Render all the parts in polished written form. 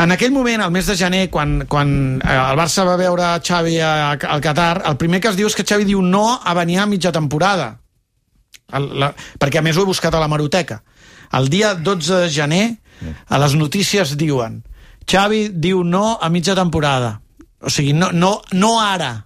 En aquell moment, al mes de gener, quan el Barça va veure Xavi al Qatar, el primer que es diu és que Xavi diu no a venir a mitja temporada. Perquè a més ho he buscat a l'hemeroteca. El dia 12 de gener, a les notícies diuen Xavi diu no a mitja temporada. O sigui, no ara.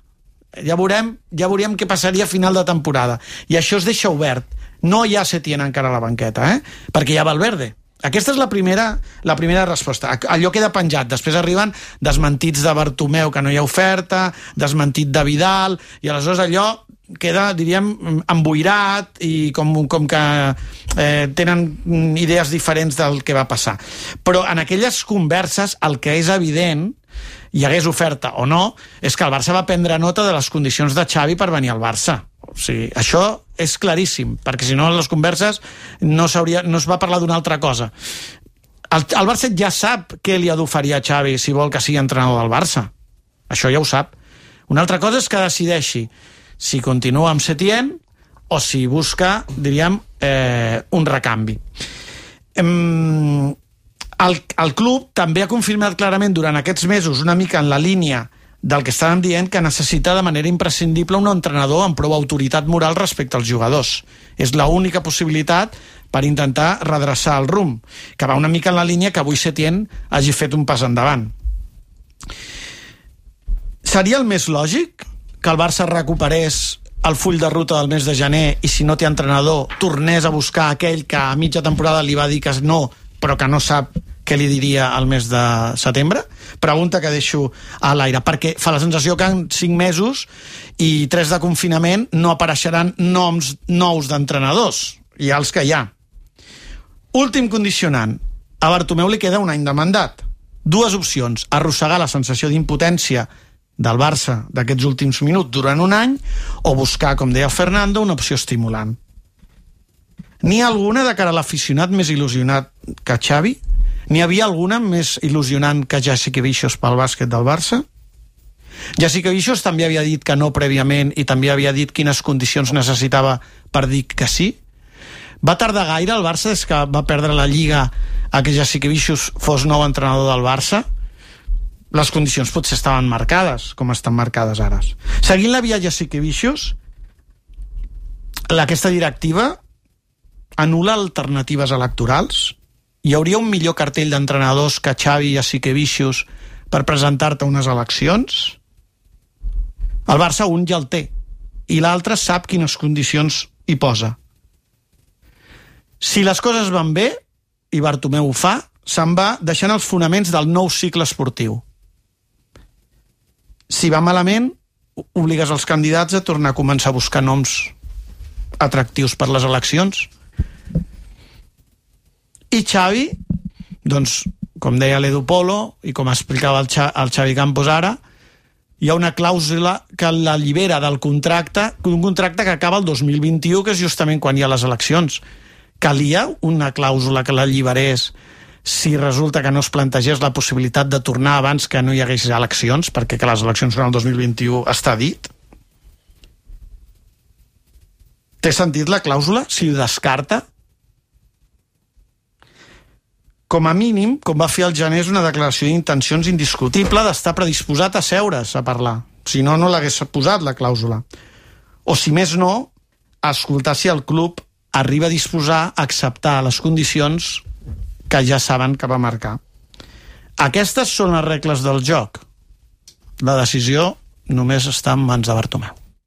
Ja veurem què passaria a final de temporada. I això es deixa obert. No hi ha Setién encara a la banqueta, perquè hi ha Valverde. Aquesta és la primera resposta. Allò queda penjat. Després arriben desmentits de Bartomeu, que no hi ha oferta, desmentit de Vidal, i aleshores allò queda, diríem, emboirat i com que tenen idees diferents del que va passar. Però en aquelles converses el que és evident, hi hagués oferta o no, és que el Barça va prendre nota de les condicions de Xavi per venir al Barça. O sigui, això és claríssim, perquè si no en les converses no es va parlar d'una altra cosa. El Barça ja sap què li ha d'oferir a Xavi si vol que sigui entrenador del Barça. Això ja ho sap. Una altra cosa és que decideixi si continua amb Setién o si busca, diríem, un recanvi. El club també ha confirmat clarament durant aquests mesos, una mica en la línia del que estàvem dient, que necessita de manera imprescindible un entrenador amb prou autoritat moral respecte als jugadors. És l'única possibilitat per intentar redreçar el rumb, que va una mica en la línia que avui Setién hagi fet un pas endavant. Seria el més lògic que el Barça recuperés el full de ruta del mes de gener i si no té entrenador tornés a buscar aquell que a mitja temporada li va dir que no, però que no sap què li diria al mes de setembre? Pregunta que deixo a l'aire, perquè fa la sensació que en 5 mesos i 3 de confinament no apareixeran noms nous d'entrenadors. Hi ha els que hi ha. Últim condicionant. A Bartomeu li queda un any de mandat. 2 opcions. Arrossegar la sensació d'impotència del Barça d'aquests últims minuts durant un any o buscar, com deia Fernando, una opció estimulant. N'hi ha alguna de cara a l'aficionat més il·lusionat que Xavi? N'hi havia alguna més il·lusionant que Jasikevičius pel bàsquet del Barça? Jasikevičius també havia dit que no prèviament i també havia dit quines condicions necessitava per dir que sí? Va tardar gaire el Barça des que va perdre la Lliga a que Jasikevičius fos nou entrenador del Barça? Les condicions potser estaven marcades, com estan marcades ara. Seguint la via Jasikevičius, aquesta directiva anul·la alternatives electorals? Hi hauria un millor cartell d'entrenadors que Xavi i Jasikevičius per presentar-te unes eleccions? El Barça un ja el té i l'altre sap quines condicions hi posa. Si les coses van bé, i Bartomeu ho fa, se'n va deixant els fonaments del nou cicle esportiu. Si va malament, obligues els candidats a tornar a començar a buscar noms atractius per les eleccions. I Xavi, doncs, com deia l'Edu Polo i com explicava el Xavi Campos ara, hi ha una clàusula que l'allibera del contracte, un contracte que acaba el 2021, que és justament quan hi ha les eleccions. Calia una clàusula que l'alliberés si resulta que no es plantegés la possibilitat de tornar abans que no hi hagués eleccions, perquè que les eleccions són el 2021 està dit? Té sentit la clàusula? Si ho descarta? Com a mínim, com va fer el gener, és una declaració d'intencions indiscutible d'estar predisposat a seure's a parlar. Si no, no l'hagués posat, la clàusula. O, si més no, a escoltar si el club arriba a disposar a acceptar les condicions que ja saben que va marcar. Aquestes són les regles del joc. La decisió només està en mans de Bartomeu.